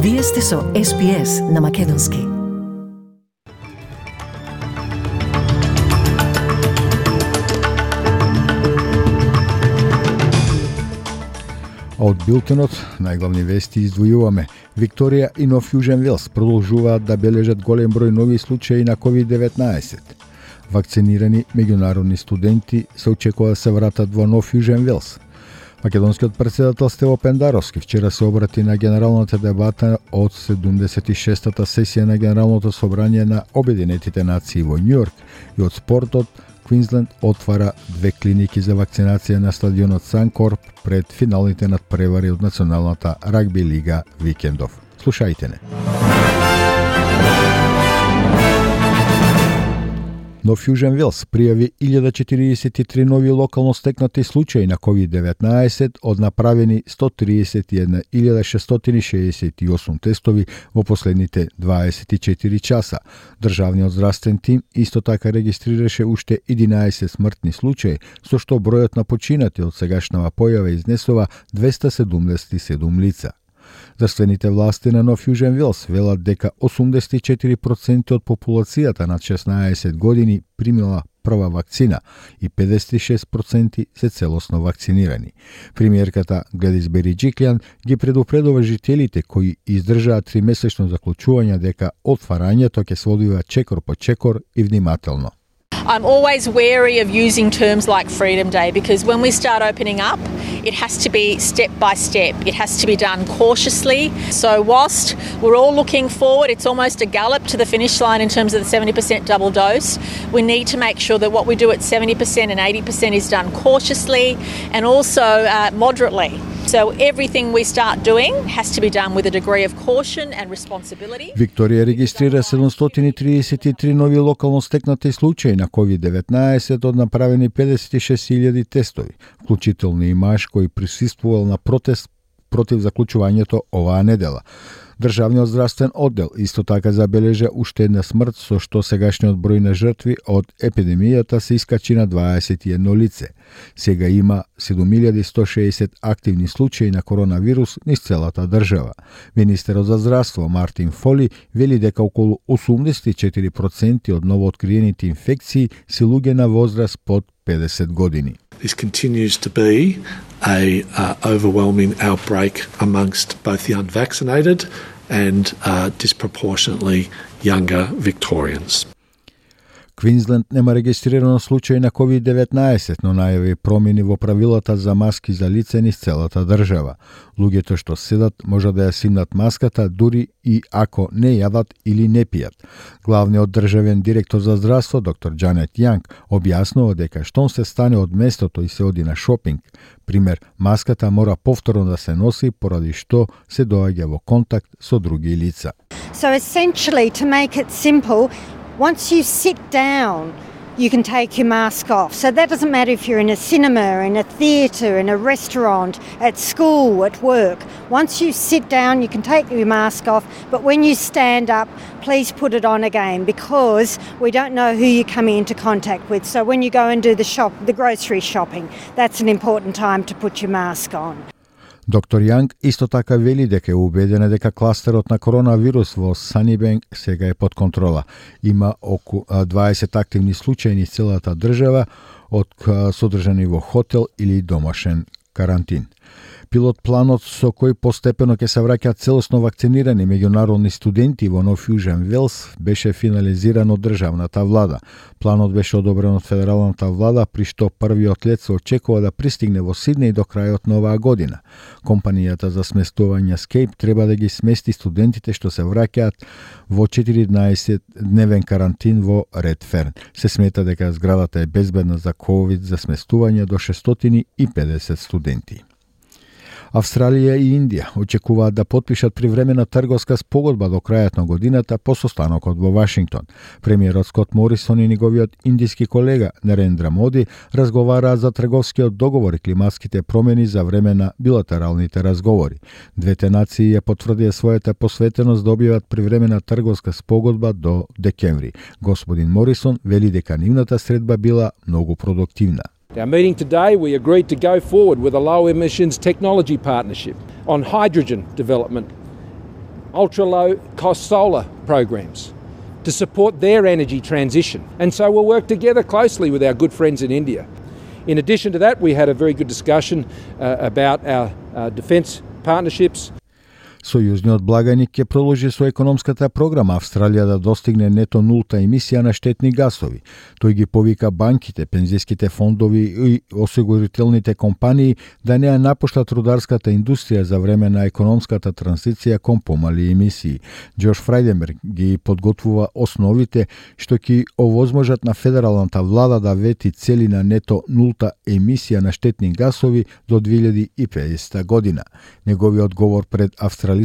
Вие сте со SPS на Македонски. Од билтенот најглавни вести издвојуваме. Викторија и Нов Јужен Велс продолжуваат да бележат голем број нови случаи на COVID-19. Вакцинирани меѓународни студенти се очекува да се вратат во Нов Јужен Велс. Македонскиот претседател Стево Пендаровски вчера се обрати на генералната дебата од 76-та сесија на Генералното собрание на Обединетите нации во Њујорк и од спортот Квинсленд отвара 2 клиники за вакцинација на стадионот Санкорп пред финалните надпревари од Националната рагби лига викендов. Слушајте не. Нов Јужен Велс пријави 1043 нови локално стекнати случаи на COVID-19 од направени 131.668 тестови во последните 24 часа. Државниот здравствен тим исто така регистрираше уште 11 смртни случаи, со што бројот на починати од сегашнава појава изнесува 277 лица. Здравствените власти на Нов Јужен Велс велат дека 84% од популацијата над 16 години примила прва вакцина и 56% се целосно вакцинирани. Премиерката Гледис Бериџиклјан ги предупредува жителите кои издржаат 3-месечно заклучување дека отварањето ќе се одвива чекор по чекор и внимателно. I'm always wary of using terms like Freedom Day because when we start opening up, it has to be step by step. It has to be done cautiously. So whilst we're all looking forward, it's almost a gallop to the finish line in terms of the 70% double dose. We need to make sure that what we do at 70% and 80% is done cautiously and also moderately. So everything we start doing has to be done with a degree of caution and responsibility. Викторија регистрира 733 нови локално стекнати случаи на COVID-19 од направени 56.000 тестови, вклучително и маж кој присуствувал на протест против заклучувањето оваа недела. Државниот здравствен оддел исто така забележа уште една смрт, со што сегашниот број на жртви од епидемијата се искачи на 21 лице. Сега има 7160 активни случаи на коронавирус низ целата држава. Министерот за здравство Мартин Фоли вели дека околу 84% од новооткриените инфекции се луѓе на возраст под 50 години. This continues to be a overwhelming outbreak amongst both the unvaccinated and disproportionately younger Victorians. Квинсленд нема регистрирано случај на COVID-19, но најави промени во правилата за маски за лице низ целата држава. Луѓето што седат може да ја симнат маската дури и ако не јадат или не пијат. Главниот државен директор за здравство, доктор Џанет Јанг, објаснува дека штом се стане од местото и се оди на шопинг, пример, маската мора повторно да се носи поради што се доаѓа во контакт со други лица. So essentially, to make it simple, once you sit down, you can take your mask off. So that doesn't matter if you're in a cinema, in a theatre, in a restaurant, at school, at work. Once you sit down, you can take your mask off, but when you stand up, please put it on again because we don't know who you're coming into contact with. So when you go and do the grocery shopping, that's an important time to put your mask on. Доктор Јанг исто така вели дека е убедена дека кластерот на коронавирус во Санибенк сега е под контрола. Има околу 20 активни случаи низ целата држава од содржани во хотел или домашен карантин. Пилот планот со кој постепено ќе се враќаат целосно вакцинирани меѓународни студенти во Нов Јужен Велс беше финализиран од државната влада. Планот беше одобрен од федералната влада, при што првиот лет се очекува да пристигне во Сиднеј до крајот на оваа година. Компанијата за сместување Скейп треба да ги смести студентите што се враќаат во 14-дневен карантин во Редферн. Се смета дека зградата е безбедна за ковид за сместување до 650 студенти. Австралија и Индија очекуваат да потпишат привремена трговска спогодба до крајот на годината по состанокот во Вашингтон. Премиерот Скот Морисон и неговиот индиски колега Нарендра Моди разговараат за трговскиот договор и климатските промени за време на билатералните разговори. Двете нации ја потврдија својата посветеност да објават привремена трговска спогодба до декември. Господин Морисон вели дека нивната средба била многу продуктивна. At our meeting today, we agreed to go forward with a low emissions technology partnership on hydrogen development, ultra-low cost solar programs to support their energy transition. And so we'll work together closely with our good friends in India. In addition to that, we had a very good discussion about our defence partnerships. Сојузниот благаник ќе продолжи со економската програма Австралија да достигне нето нулта емисија на штетни гасови. Тој ги повика банките, пензиските фондови и осигурителните компании да не ја напуштат рударската индустрија за време на економската транзиција кон помали емисии. Џош Фрајденберг ги подготвува основите што ќе овозможат на федералната влада да вети цели на нето нулта емисија на штетни гасови до 2050 година. Неговиот говор пред Австралиската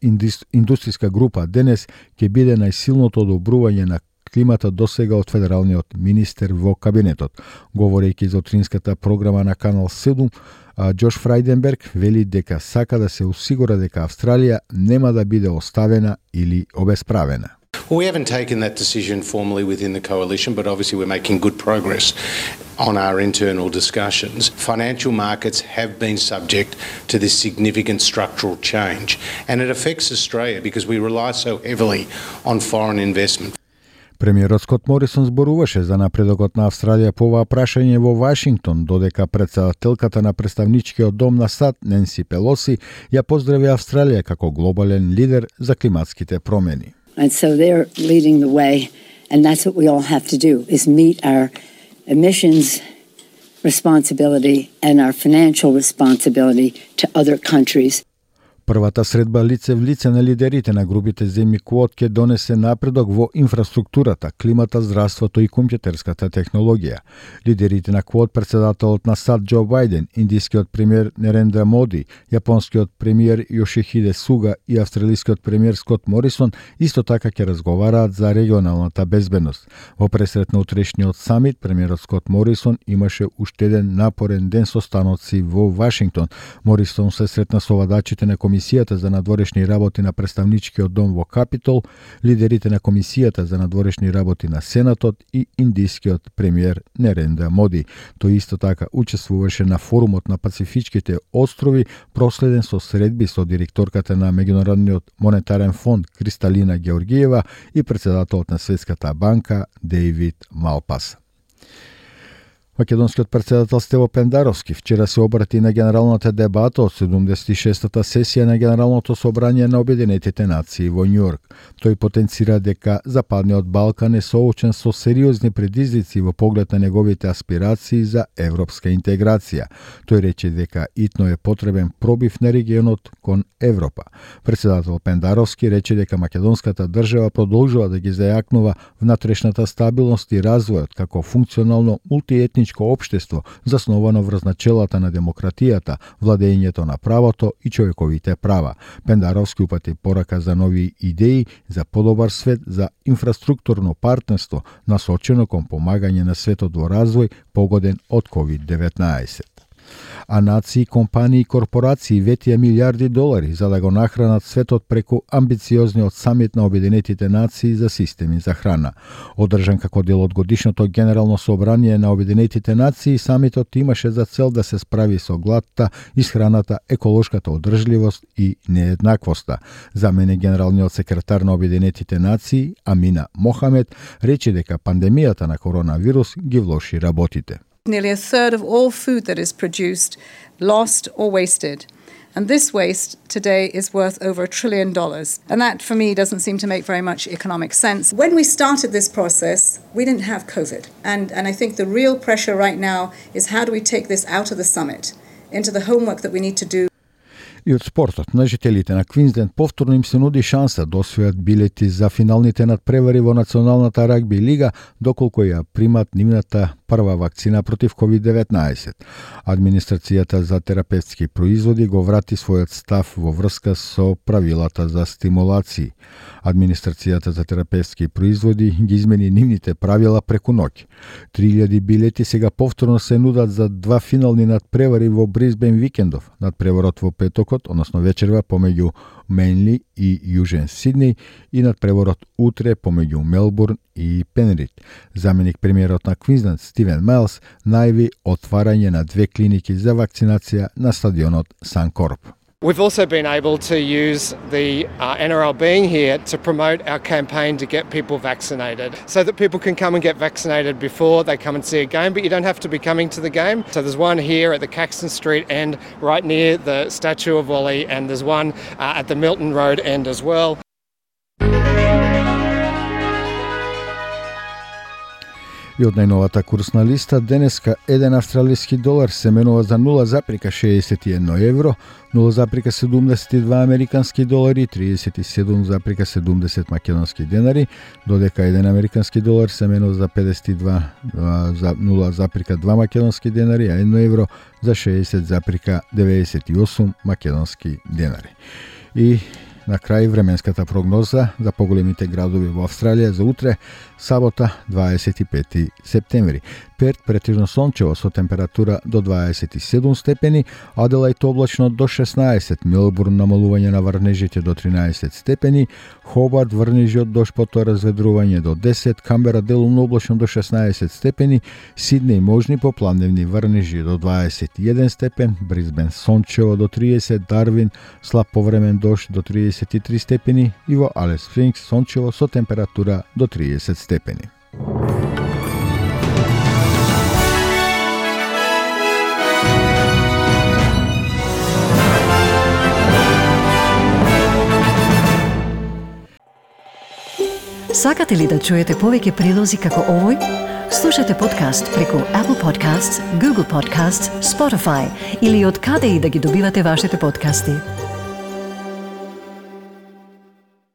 индустријска група денес ќе биде најсилното одобрување на климата досега од федералниот министер во кабинетот. Говорејќи за утринската програма на Канал 7, Џош Фрајденберг вели дека сака да се осигура дека Австралија нема да биде оставена или обесправена. Well, we haven't taken that decision formally within the coalition, but obviously we're making good progress on our internal discussions. Financial markets have been subject to this significant structural change, and it affects Australia because we rely so heavily on foreign investment. Премиерот Скот Морисон зборуваше за напредокот на Австралија по оваа прашање во Вашингтон, додека претседателката на представничкиот дом на САД Ненси Пелоси ја поздрави Австралија како глобален лидер за климатските промени. And so they're leading the way, and that's what we all have to do, is meet our emissions responsibility and our financial responsibility to other countries. Првата средба лице в лице на лидерите на групите земји Квот ќе донесе напредок во инфраструктурата, климата, здравството и компјутерската технологија. Лидерите на Квот, председателот на САД Џо Бајден, индискиот премиер Нерендра Моди, јапонскиот премиер Јошихиде Суга и австралискиот премиер Скот Морисон исто така ќе разговараат за регионалната безбедност. Во пресрет на утрешниот самит, премиерот Скот Морисон имаше уште еден напорен ден состаноци во Вашингтон. Морисон се сретна со владачите на Комисијата за надворешни работи на представничкиот дом во Капитол, лидерите на Комисијата за надворешни работи на Сенатот и индискиот премиер Нерендра Моди. Тој исто така учествуваше на форумот на Пацифичките острови, проследен со средби со директорката на Меѓународниот монетарен фонд Кристалина Георгиева и председателот на Светската банка Дејвид Малпас. Македонскиот председател Стево Пендаровски вчера се обрати на генералната дебата од 76-та сесија на Генералното собрание на Обединетите нации во Њујорк. Тој потенцира дека Западниот Балкан е соочен со сериозни предизвици во поглед на неговите аспирации за европска интеграција. Тој рече дека итно е потребен пробив на регионот кон Европа. Председател Пендаровски рече дека македонската држава продолжува да ги зајакнува внатрешната стабилност и развојот како функционално мултиетничко општество засновано врз начелата на демократијата, владењето на правото и човековите права. Пендаровски упати порака за нови идеи за подобар свет, за инфраструктурно партнерство насочено кон помагање на светот во развој погоден од COVID-19. А нации, компании и корпорации ветија милиарди долари за да го нахранат светот преку амбициозниот самит на Обединетите нации за системи за храна. Одржан како дел од годишното Генерално собрание на Обединетите нации, самитот имаше за цел да се справи со гладта, исхраната, еколошката одржливост и нееднаквоста. Замене генералниот секретар на Обединетите нации, Амина Мохамед, рече дека пандемијата на коронавирус ги влоши работите. Nearly a third of all food that is produced, lost or wasted. And this waste today is worth over $1 trillion. And that, for me, doesn't seem to make very much economic sense. When we started this process, we didn't have COVID. And I think the real pressure right now is how do we take this out of the summit, into the homework that we need to do. И од спортот, на жителите на Квинсленд повторно им се нуди шанса да освојат билети за финалните надпревари во Националната рагби лига, доколку ја примат нивната прва вакцина против COVID-19. Администрацијата за терапевтски производи го врати својот став во врска со правилата за стимулации. Администрацијата за терапевтски производи ги измени нивните правила преку ноќ. 3000 билети сега повторно се нудат за два финални надпревари во Брисбен викендов. Надпреварот во петокот, односно вечерва помеѓу Менли и Јужен Сиднеј и надпреварот утре помеѓу Мелбурн и Пенрид. Заменик премиерот на Квинсленд Стивен Майлс најави отварање на две клиники за вакцинација на стадионот Санкорп. We've also been able to use the NRL being here to promote our campaign to get people vaccinated so that people can come and get vaccinated before they come and see a game, but you don't have to be coming to the game. So there's one here at the Caxton Street end right near the statue of Wally, and there's one at the Milton Road end as well. И од најновата курсна листа, денеска 1 австралиски долар се менува за 0,61 евро, 0,72 американски долари, 37,70 македонски денари, додека 1 американски долар се менува за 52 за 0,2 македонски денари, а 1 евро за 60,98 македонски денари. И на крај временската прогноза за поголемите градови во Австралија за утре, сабота, 25 септември. Перт претежно сончево со температура до 27 степени, Аделајд облачно до 16, Мелбурн намалување на врнежите до 13 степени, Хобарт врнежи од дожд потоа разведрување до 10, Камбера делумно облачно до 16 степени, Сиднеј можни поплавневни врнежи до 21 степен, Брисбен сончево до 30, Дарвин слаб повремен дожд до 33 степени и во Алис Спрингс сончево со температура до 30 степени. Сакате ли да чуете повеќе прилози како овој? Слушате подкаст преку Apple Podcasts, Google Podcasts, Spotify или од каде и да ги добивате вашите подкасти.